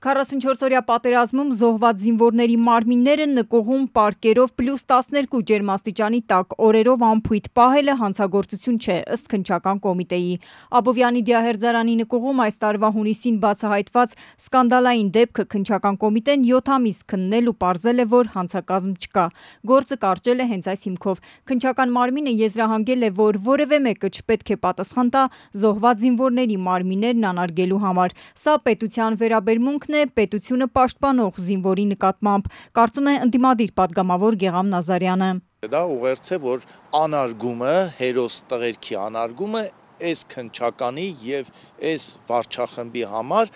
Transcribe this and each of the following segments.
44-օրյա պատերազմում զոհված զինվորների մարմինները նկուղում պարկերով +12 ջերմաստիճանի տակ օրերով անփույթ պահելը հանցագործություն չէ, ըստ քննչական կոմիտեի։ Աբովյանի դիահերձարանի նկուղում այս տարվա հունիսին բացահայտված սկանդալային դեպքը քննչական կոմիտեն 7 ամիս քննել ու պարզել է, որ հանցակազմ չկա։ Գործը կարճել է հենց այս հիմքով։ Քննչական մարմինը եզրահանգել է, որ որևէ մեկը չպետք է պատասխան տա զոհված զինվորների մարմիններն անարգելու համար։ Սա պետության վերաբերմունքն է պետությունը պաշտպանող զինվորի նկատմամբ, կարծում է ընդդիմադիր պատգամավոր Գեղամ Նազարյանը։ Դա ուղերձ է, որ անարգումը, հերոս տղերքի անարգումը այս քննչականի եւ այս վարչախմբի համար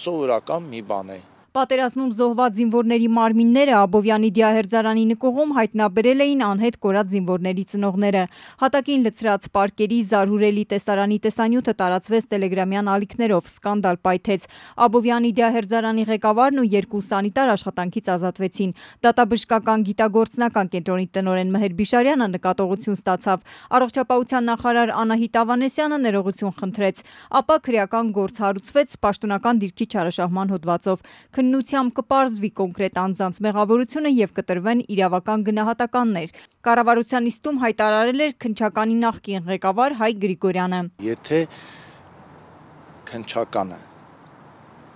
սովորական մի բան է։ Պատերազմում զոհված զինվորների մարմինները Աբովյանի դիահերձարանի նկուղում հայտնաբերել էին անհետ կորած զինվորների ծնողները։ Հատակին լցրած պարկերի զարհուրելի տեսարանի տեսանյութը տարածվեց տելեգրամյան ալիքներով, սկանդալ պայթեց։ Աբովյանի դիահերձարանի ղեկավարն ու 2 սանիտար աշխատանքից ազատվեցին։ Դատաբժշկական գիտագործնական կենտրոնի տնօրեն Մհեր Բիշարյանը նկատողություն ստացավ։ Առողջապահության նախարար Անահիտ Ավանեսյանը ներողություն խնդրեց, ապա քրեական գործ հարուցվեց պաշտոնական դիրքի չարաշահման հոդվածով։ Քննությամբ կպարզվի կոնկրետ անձանց մեղավորությունը եւ կտրվեն իրավական գնահատականներ։ Կառավարության նիստում հայտարարել էր քննչականի նախկին ղեկավար Հայ Գրիգորյանը։ Եթե քննչականը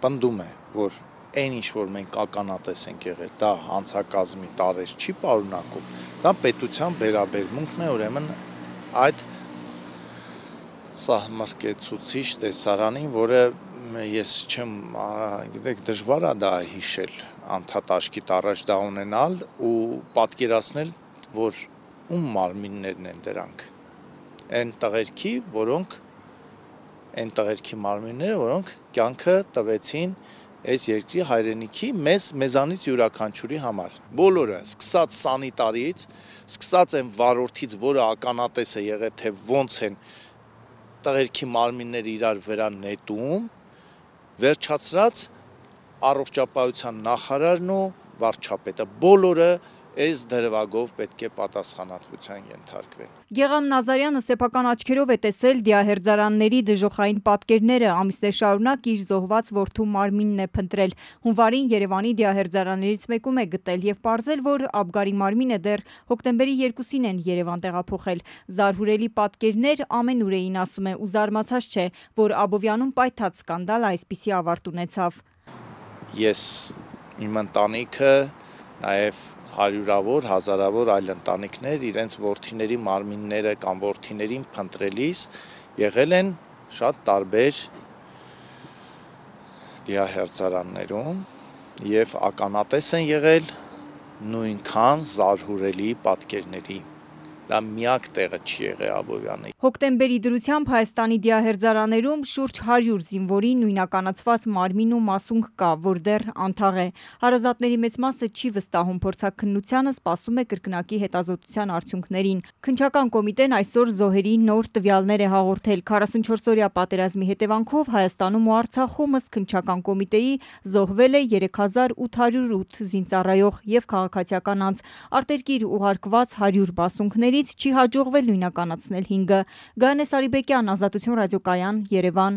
պնդում է, որ այն ինչ որ մենք ականատես ենք եղել, դա հանցակազմի տարեր չի պարունակում, դա պետության վերաբերմունքն է, ուրեմն այդ սահմռկեցուցիչ տեսարանին, որը ես չեմ, գիտեք, դժվար է դա հիշել, անդադ աշկիտ առաջ դա ունենալ ու պատկերացնել, որ ում մարմիններն են դրանք, այն տղերքի մարմինները, որոնք կյանքը տվեցին այս երկրի հայրենիքի մեզանից յուրաքանչյուրի համար։ Բոլորը, սկսած սանիտարից, սկսած այն վարորդից, որը ականատես է եղել, թե ոնց են տղերքի մարմինները իրար վրա նետում, վերջացրած առողջապահության նախարարն ու վարչապետը, բոլորը այս դրվագով պետք է պատասխանատվության ենթարկվեն։ Գեղամ Նազարյանը սեփական աչքերով է տեսել դիահերձարանների դժոխային պատկերները, ամիսներ շարունակ իր զոհված որդու մարմինն է փնտրել։ Հունվարին Երևանի դիահերձարաններից մեկում է գտել եւ պարզել, որ Աբգարի մարմինը դեռ հոկտեմբերի 2-ին են Երևան տեղափոխել։ Զարհուրելի պատկերներ ամենուր էին, ասում է, ու զարմացած չէ, որ Աբովյանում պայթած սկանդալը այսպիսի ավարտ ունեցավ։ Ես իմ ընտանիքը, նաեւ հարյուրավոր, հազարավոր այլ ընտանիքներ իրենց որդիների մարմինները կամ որդիներին փնտրելիս եղել են շատ տարբեր դիահերձարաններում եւ ականատես են եղել նույնքան զարհուրելի պատկերների։ Դա միակ տեղը չի եղել Աբովյանի։ Հոկտեմբերի դրությամբ Հայաստանի դիահերձարաներում շուրջ 100 զինվորի նույնականացված մարմին ու մասունք կա, որ դեռ անթաղ է։ Հարազատների մեծ մասը չի վստահում փորձաքննությանը, սպասում է կրկնակի հետազոտության արդյունքներին։ Քննչական կոմիտեն այսօր զոհերի նոր տվյալներ է հաղորդել։ 44-օրյա պատերազմի հետևանքով Հայաստանում ու Արցախում ըստ քննչական կոմիտեի զոհվել է 3808 զինծառայող եւ քաղաքացիական անձ։ Արտերկիր ուղարկված 100 բասունքների չի հաջողվել նույնականացնել 5-ը։ Գայանե Սարիբեկյան, Ազատություն ռադիոկայան, Երևան։